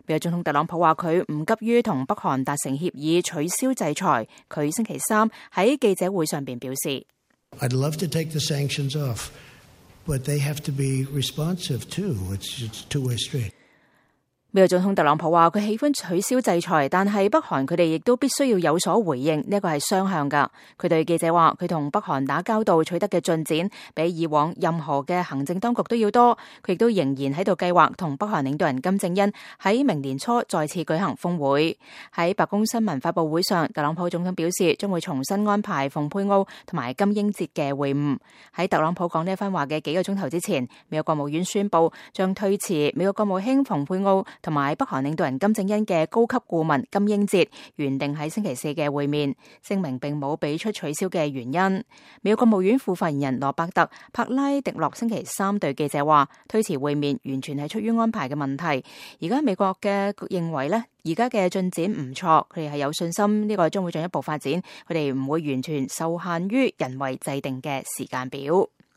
美國總統特朗普話佢唔急於同北韓達成協議取消制裁。佢星期三喺記者會上邊表示 I'd love to take the sanctions off, but they have to be responsive too. It's a two-way street. 美國總統特朗普話佢喜歡取消制裁，但係北韓佢哋亦都必須要有所回應，呢個係雙向噶。佢對記者話佢同北韓打交道取得嘅進展比以往任何嘅行政當局都要多，佢亦都仍然喺度計劃同北韓領導人金正恩喺明年初再次舉行峰會。喺白宮新聞發佈會上，特朗普總統表示將會重新安排蓬佩奧同埋金英哲嘅會晤。喺特朗普講呢一番話嘅幾個鐘頭之前，美國國務院宣布將推遲美國國務卿蓬佩奧同埋北韓領導人金正恩嘅高級顧問金英哲原定喺星期四嘅會面，聲明並冇俾出取消嘅原因。美國國務院副發言人羅伯特柏拉迪諾星期三對記者話，推遲會面完全係出於安排嘅問題。而家美國嘅認為呢，而家嘅進展唔錯，佢哋係有信心呢個將會進一步發展，佢哋唔會完全受限於人為制定嘅時間表。